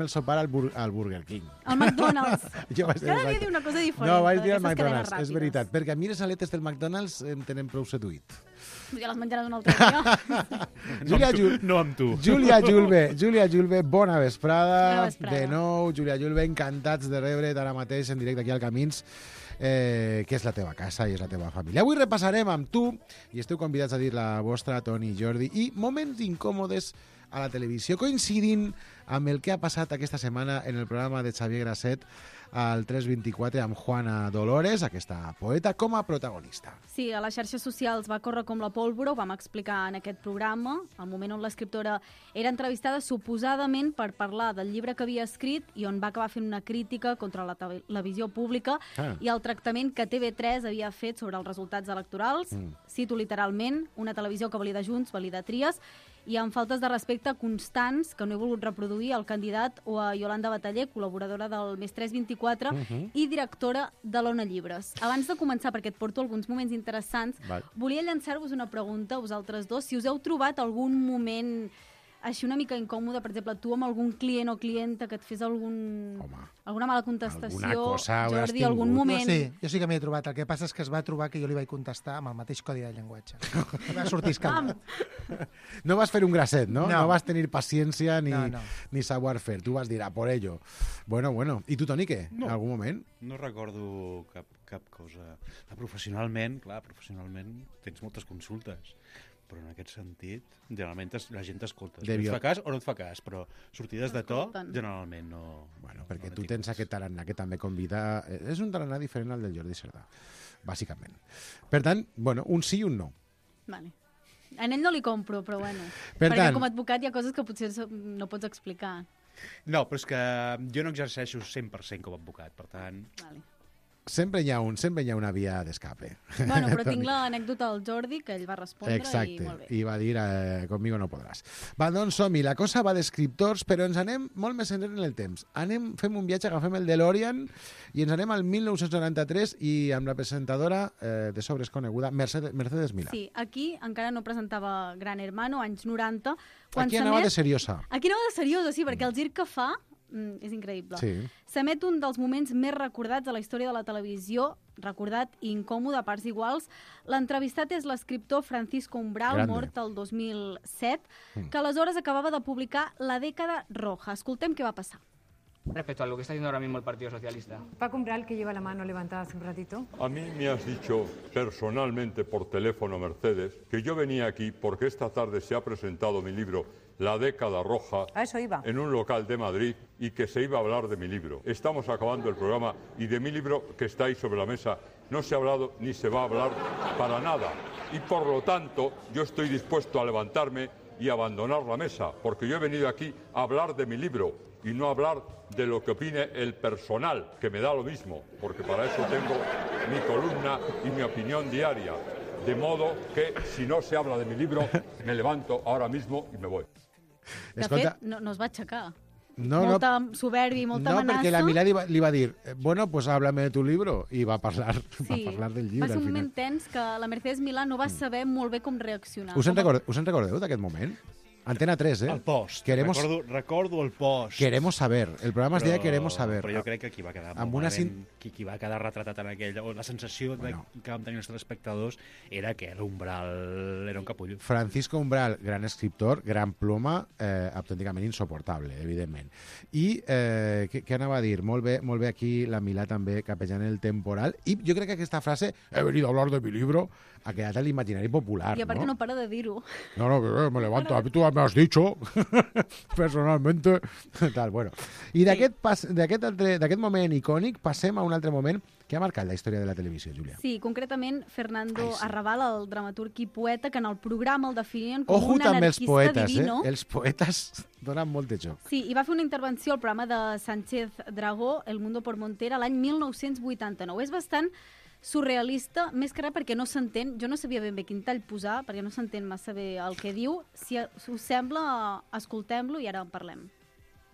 el sopar al Burger King. Al McDonald's. Jo vaig dir Cada dia exacte. diu una cosa diferent. No, vaig dir al d'aquestes cadenes McDonald's, és ràpides. veritat. Perquè a mi les aletes del McDonald's em tenen prou seduït. Ja les menjaràs un altre dia. No amb tu. Júlia Julve, bona vesprada. Bona vesprada. De nou, Júlia Julve, encantats de rebre't ara mateix en directe aquí al Camins, que és la teva casa i és la teva família. Avui repassarem amb tu, i esteu convidats a dir la vostra, Toni i Jordi, i moments incòmodes a la televisió, coincidint amb el que ha passat aquesta setmana en el programa de Xavier Grasset al 324 amb Juana Dolores, aquesta poeta, com a protagonista. Sí, a les xarxes socials va córrer com la pólvora, ho vam explicar en aquest programa, al moment on l'escriptora era entrevistada suposadament per parlar del llibre que havia escrit i on va acabar fent una crítica contra la televisió pública i el tractament que TV3 havia fet sobre els resultats electorals. Cito literalment, una televisió que valida Junts, valida Tries, i amb faltes de respecte constants que no he volgut reproduir al candidat o a Yolanda Bataller, col·laboradora del Més 324 i directora de l'Ona Llibres. Abans de començar, perquè et porto alguns moments interessants, volia llançar-vos una pregunta a vosaltres dos, si us heu trobat algun moment així una mica incòmode, per exemple, tu amb algun client o clienta que et fes alguna mala contestació, alguna cosa Jordi, algun moment... Jo sí que m'hi he trobat. El que passa és que es va trobar que jo li vaig contestar amb el mateix codi de llenguatge. Va sortir escaldat. No vas fer un grasset, no? No vas tenir paciència ni saber fer. Tu vas dir, a por ello. Bueno. I tu, Toni, què? En algun moment? No recordo cap cosa. Professionalment tens moltes consultes, però en aquest sentit, generalment la gent t'escolta. Et fa cas o no et fa cas, però sortides de to, generalment no... Bueno, perquè tu tens aquest tarannà que també convida... És un tarannà diferent al del Jordi Cerdà, bàsicament. Per tant, un sí i un no. Vale. A ell no li compro, però bueno. Perquè com a advocat hi ha coses que potser no pots explicar. No, però és que jo no exerceixo 100% com a advocat, per tant... Vale. Sempre hi ha una via d'escape. Bueno, però tinc l'anècdota del Jordi, que ell va respondre. Exacte, i molt bé. I va dir, conmigo no podràs. Va, doncs som-hi. La cosa va d'escriptors, però ens anem molt més enrere en el temps. Fem un viatge, agafem el DeLorean i ens anem al 1993 i amb la presentadora de sobres coneguda, Mercedes Milà. Sí, aquí encara no presentava Gran Hermano, anys 90. Aquí anava de seriosa. Aquí anava de seriosa, sí, perquè el gir que fa és increïble. Sí. S'emet un dels moments més recordats de la història de la televisió, recordat i incòmode a parts iguals. L'entrevistat és l'escriptor Francisco Umbral, mort el 2007, que aleshores acabava de publicar La dècada roja. Escoltem què va passar. Respecto a lo que está haciendo ahora mismo el Partido Socialista. Paco Umbral, que lleva la mano levantada hace un ratito. A mí me has dicho personalmente por teléfono, Mercedes, que yo venía aquí porque esta tarde se ha presentado mi libro La década roja en un local de Madrid y que se iba a hablar de mi libro. Estamos acabando el programa y de mi libro que está ahí sobre la mesa no se ha hablado ni se va a hablar para nada. Y por lo tanto yo estoy dispuesto a levantarme y abandonar la mesa, porque yo he venido aquí a hablar de mi libro y no a hablar de lo que opine el personal, que me da lo mismo, porque para eso tengo mi columna y mi opinión diaria. De modo que, si no se habla de mi libro, me levanto ahora mismo y me voy. De fet, no es va aixecar. Molta soberbia i molta amenaça. No, perquè la Milà li va dir, bueno, pues háblame de tu libro, i va parlar del llibre. Va ser un moment tens que la Mercedes Milà no va saber molt bé com reaccionar. Us en recordeu d'aquest moment? Antena 3, El post. Recordo el post. Queremos saber. El programa es deia Queremos saber. Però jo crec que qui va quedar qui va quedar retratat en aquell... O la sensació que vam tenir els espectadors era que l'Umbral era un capullo. Francisco Umbral, gran escriptor, gran ploma, autènticament insoportable, evidentment. I què anava a dir? Molt bé aquí la Milà també capejant el temporal. I jo crec que aquesta frase, he venido a hablar de mi libro, ha quedat a l'imaginari popular. I a part que no para de dir-ho. No, me levanto. Tu me has dicho personalmente. Tal, bueno. I d'aquest moment icònic passem a un altre moment que ha marcat la història de la televisió, Júlia. Sí, concretament Fernando Arrabal, el dramaturg i poeta, que en el programa el definien com un anarquista divino. Els poetes donen molt de joc. Sí, i va fer una intervenció al programa de Sánchez Dragó, El Mundo por Montera, l'any 1989. És bastant surrealista, més que res perquè no s'entén. Jo no sabia ben bé quin tall posar, perquè no s'entén massa bé el que diu. Si us sembla, escoltem-lo i ara en parlem.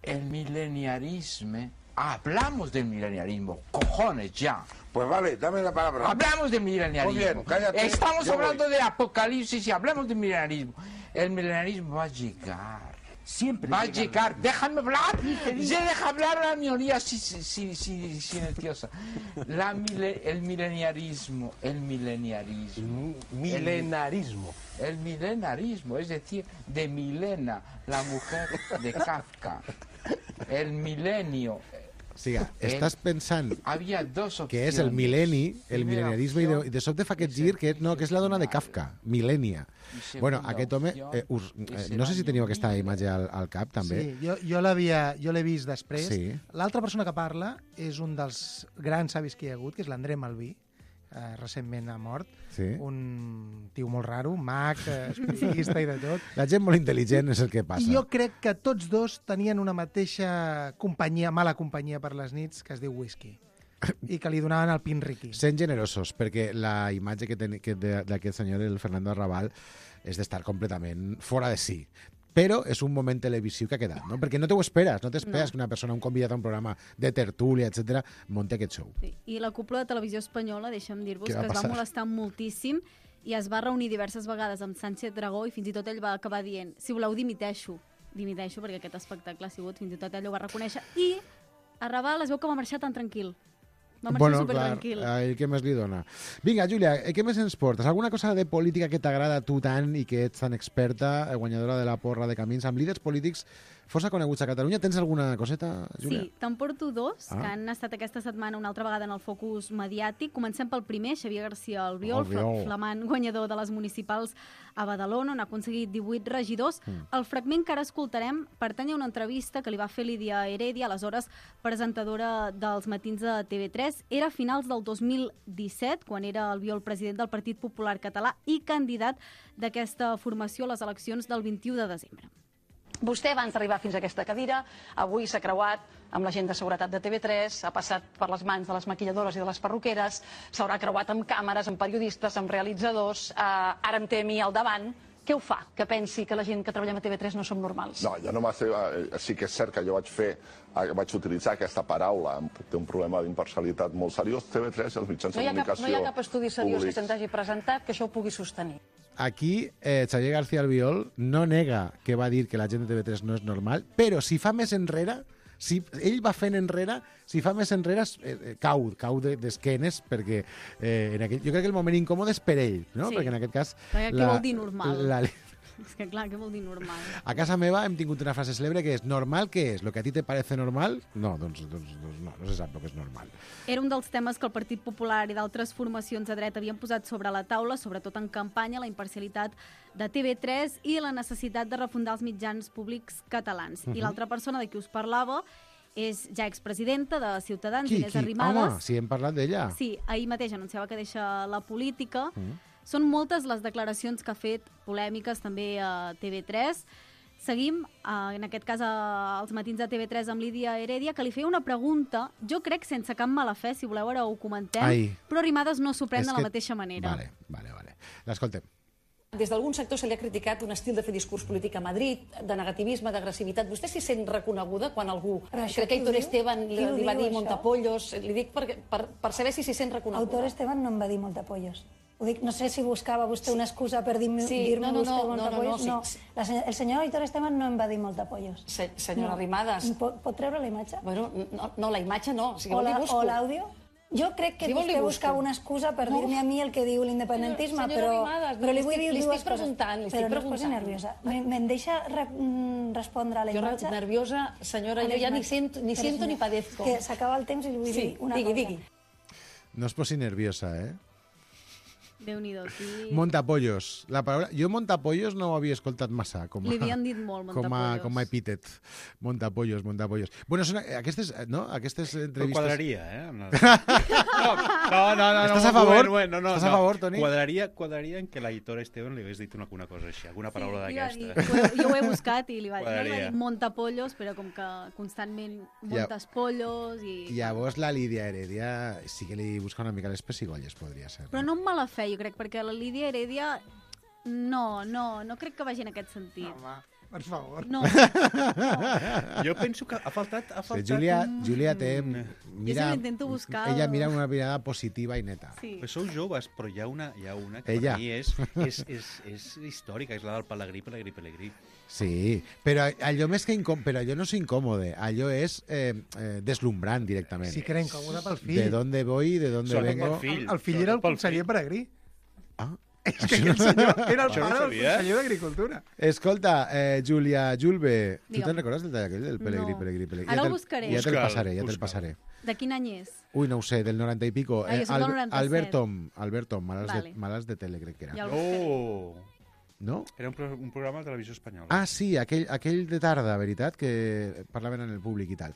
El mileniarismo. Hablamos del mileniarismo, cojones ya. Pues vale, dame la palabra. Hablamos del mileniarismo. Muy bien, cállate. Estamos hablando de apocalipsis y hablamos del mileniarismo. El mileniarismo va a llegar. Siempre va a llegar. Déjame hablar. Se deja hablar a la minoría silenciosa. El mileniarismo. El milenarismo, es decir, de Milena, la mujer de Kafka. El milenio. siga, estàs pensant Había dos que és el mil·lenniarisme, i de sobte fa aquest gir que és la dona de Kafka, Millennia. Bueno, aquest home, no sé si teniu aquesta imatge al cap, també. Sí, jo l'he vist després. Sí. L'altra persona que parla és un dels grans savis que hi ha hagut, que és l'André Malví, recentment ha mort. Sí. Un tio molt raro, mag, espiritista i de tot. La gent molt intel·ligent és el que passa. I jo crec que tots dos tenien una mateixa companyia, mala companyia per les nits, que es diu whisky, i que li donaven el pinriqui. Sent generosos, perquè la imatge d'aquest senyor, el Fernando Arrabal, és d'estar completament fora de si. Però és un moment televisiu que ha quedat, no? Perquè no t'ho esperes, no t'esperes que una persona, un convidat a un programa de tertúlia, etc., munti aquest show. Sí. I la cúpula de Televisió Espanyola, deixa'm dir-vos, Què va que es va passar? molestar moltíssim i es va reunir diverses vegades amb Sánchez Dragó i fins i tot ell va acabar dient, si voleu dimiteixo perquè aquest espectacle ha sigut, fins i tot ell ho va reconèixer, i Arrabal es veu que va marxar tan tranquil. Va marxar supertranquil. Clar, què més li dona? Vinga, Júlia, què més ens portes? Alguna cosa de política que t'agrada a tu tant i que ets tan experta, guanyadora de la porra de Camins, amb líders polítics força coneguts a Catalunya? Tens alguna coseta, Júlia? Sí, te'n porto dos, que han estat aquesta setmana una altra vegada en el focus mediàtic. Comencem pel primer, Xavier García Albiol, flamant guanyador de les municipals a Badalona, on ha aconseguit 18 regidors. El fragment que ara escoltarem pertany a una entrevista que li va fer Lídia Heredia, aleshores presentadora dels matins de TV3. Era a finals del 2017, quan era Albiol president del Partit Popular Català i candidat d'aquesta formació a les eleccions del 21 de desembre. Vostè, abans d'arribar fins a aquesta cadira, avui s'ha creuat amb la gent de seguretat de TV3, ha passat per les mans de les maquilladores i de les perruqueres, s'haurà creuat amb càmeres, amb periodistes, amb realitzadors, ara em té a mi al davant. Què ho fa que pensi que la gent que treballem a TV3 no som normals? No, jo no m'ha... Sí que és cert que jo vaig utilitzar aquesta paraula, té un problema d'imparcialitat molt seriós. TV3 i els mitjans de comunicació... No hi ha cap estudi seriós que se'ns hagi presentat que això ho pugui sostenir. Aquí, Xavier García Albiol no nega que va dir que la gent de TV3 no és normal, però si fa més enrere, si ell va fent enrere, si fa més enrere, cau d'esquenes, perquè jo crec que el moment incòmode és per ell, no? Sí. Perquè en aquest cas... Què vol dir normal? És que clar, què vol dir normal? A casa meva hem tingut una frase cèlebre que és normal, què és? ¿Lo que a ti te parece normal? No, doncs no se sap el que és normal. Era un dels temes que el Partit Popular i d'altres formacions de dret havien posat sobre la taula, sobretot en campanya, la imparcialitat de TV3 i la necessitat de refundar els mitjans públics catalans. I l'altra persona de qui us parlava és ja expresidenta de Ciutadans, Inés Arrimadas. Home, sí, hem parlat d'ella. Sí, ahir mateix anunciava que deixa la política. Són moltes les declaracions que ha fet, polèmiques també a TV3. Seguim, en aquest cas, als matins de TV3 amb Lídia Heredia, que li feia una pregunta, jo crec sense cap mala fe, si voleu ara ho comentem, però Arrimadas no s'ho pren de la mateixa manera. Vale. L'escoltem. Des d'algun sector se li ha criticat un estil de fer discurs polític a Madrid, de negativisme, d'agressivitat. Vostè s'hi sent reconeguda quan algú... Crec que Aitor Esteban li va dir montapollos. Li dic per saber si s'hi sent reconeguda. Aitor Esteban no em va dir montapollos. Ho dic, no sé si buscava vostè una excusa per dir-me vostè montapollos. No, el senyor Aitor Esteban no em va dir montapollos. Senyora Arrimadas... Pot treure la imatge? Bueno, no, la imatge no. O l'àudio? Jo crec que vostè buscava una excusa per dir-me a mi el que diu l'independentisme, però li vull dir dues coses. Però no es posi nerviosa. Me'n deixa respondre a la imatge? Jo nerviosa, senyora, jo ja ni sento ni padezco. Que s'acaba el temps i li vull dir una cosa. Digui. No es posi nerviosa, eh? Déu-n'hi-do, aquí... Montapollos. La paraula... Jo montapollos no ho havia escoltat massa. Li havien dit molt, montapollos. Com a epítet. Montapollos. Bueno, són aquestes, no? Aquestes entrevistes... Quadraria, eh? No. Estàs a favor? Estàs a favor, Toni? Quadraria en que l'Aitor Esteban li hagués dit una cosa així, alguna paraula d'aquesta. Jo ho he buscat i li va dir montapollos, però com que constantment montespollos i... Llavors la Lídia Heredia sí que li busca una mica les pessigolles, podria ser. Però no amb mala fe, jo crec, perquè la Lídia Heredia no crec que vagi en aquest sentit. Home, per favor. No. Jo penso que ha faltat Júlia té... Jo intento buscar... Ella mira una mirada positiva i neta. Sí. Pues sou joves, però hi ha una que per mi és històrica, és la del Pelegrí. Sí, però allò més que però allò no és incòmode, allò és deslumbrant directament. Sí que era incòmode pel fill. De dónde voy, de dónde vengo. El fill era el conseller Pelegrí. Ah, És que aquell senyor era el pare del conseller d'Agricultura. Escolta, Júlia Julbe, tu Digue'm. te'n recordes del tall aquell del Pelegrí, No. Pelegrí? Ara ho buscaré. Ja te'l passaré, ja te'l passaré. De quin any és? Ui, no ho sé, del 90 i pico. Ah, jo soc del 97. Albert Tom, Vale. Malats de tele, crec que era. Ja el buscaré. Oh! No? Era un programa de televisió espanyola. Ah, sí, aquell de tarda, veritat, que parlaven en el públic i tal.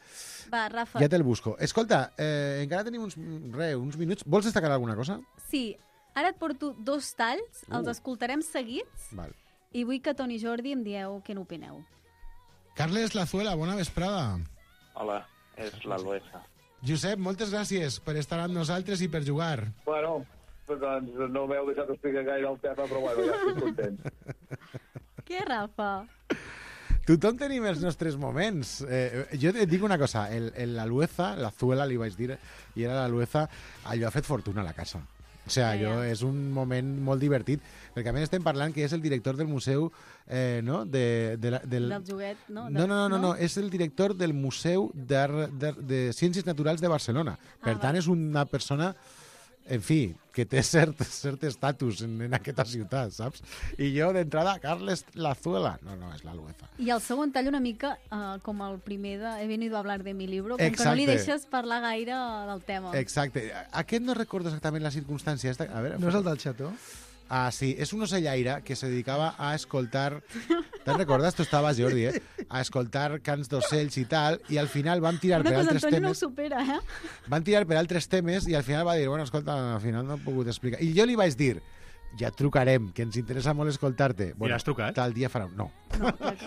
Va, Rafa. Ja te'l busco. Escolta, encara tenim uns minuts. Vols destacar alguna cosa? Sí, ara et porto 2 talls, els escoltarem seguits, Val. i vull que Toni i Jordi em dieu què n'opineu. Carles Lazuela, bona vesprada. Hola, és la Luesa. Josep, moltes gràcies per estar amb nosaltres i per jugar. Bueno, doncs no m'heu deixat explicar gaire el tema, però bueno, ja estic content. Què, Rafa? Tothom tenim els nostres moments. Jo et dic una cosa, l'Azuela li vaig dir, i era l'Alueza, allò ha fet fortuna a la casa. O sigui, és un moment molt divertit, perquè a més estem parlant que és el director del museu, no? Del joguet, no? No, és el director del Museu de Ciències Naturals de Barcelona. Per tant, és una persona, en fi, que té cert estatus en aquesta ciutat, saps? I jo, d'entrada, Carles Lazuela. No, és l'Alueza. I el segon tall una mica com el primer de He venido a hablar de mi libro, com Exacte. que no li deixes parlar gaire del tema. Exacte. Aquest no recordo exactament la circumstància. A veure, No és el del xató? Ah, sí, és un ocellaire que se dedicava a escoltar... Te'n recordes? Tu estaves, Jordi, a escoltar cants d'ocells i tal, i al final vam tirar per altres Una cosa, Antonio no ho temes... supera, Van tirar per altres temes i al final va dir, bueno, escolta, al final no he pogut explicar. I jo li vaig dir, ja et trucarem, que ens interessa molt escoltar-te. Bueno, l'has trucat? Tal dia farà... No.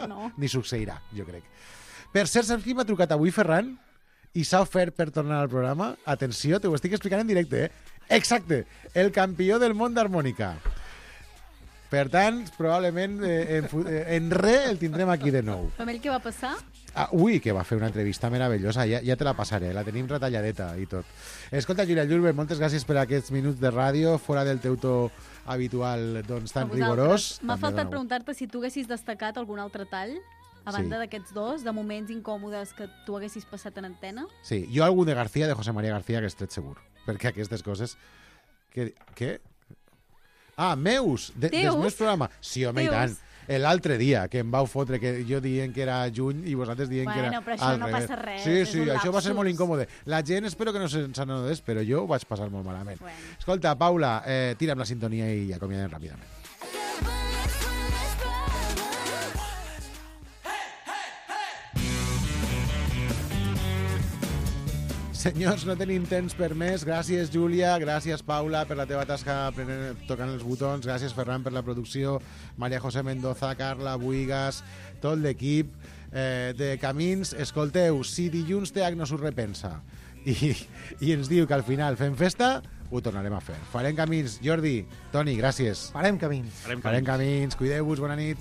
No. Ni succeirà, jo crec. Per cert, saps qui m'ha trucat avui, Ferran? I s'ha ofert per tornar al programa. Atenció, te ho estic explicant en directe, Exacte, el campió del món d'harmònica. Per tant, probablement en el tindrem aquí de nou. Amb ell què va passar? Ui, que va fer una entrevista meravellosa, ja te la passaré, la tenim retalladeta i tot. Escolta, Júlia Julbe, moltes gràcies per aquests minuts de ràdio, fora del teu to habitual, doncs, tan rigorós. M'ha faltat preguntar-te si tu haguessis destacat algun altre tall, a banda d'aquests dos, de moments incòmodes que tu haguessis passat en antena? Sí, jo algun de García, de José María García, que estic segur, perquè aquestes coses... Què? Ah, meus! Dels meus programes. Sí, home, i tant. L'altre dia, que em vau fotre, que jo dient que era juny i vosaltres dient que era... Bueno, però això no passa res. Sí, això va ser molt incòmode. La gent espero que no se'n n'adonés, però jo ho vaig passar molt malament. Escolta, Paula, tira'm la sintonia i acomiadem ràpidament. Senyors, no tenim temps per més. Gràcies, Júlia. Gràcies, Paula, per la teva tasca tocant els botons. Gràcies, Ferran, per la producció. Maria José Mendoza, Carla Buigas, tot l'equip de Camins. Escolteu, si dilluns TH no s'ho repensa i ens diu que al final fem festa, ho tornarem a fer. Farem Camins. Jordi, Toni, gràcies. Farem Camins. Farem Camins. Cuideu-vos. Bona nit.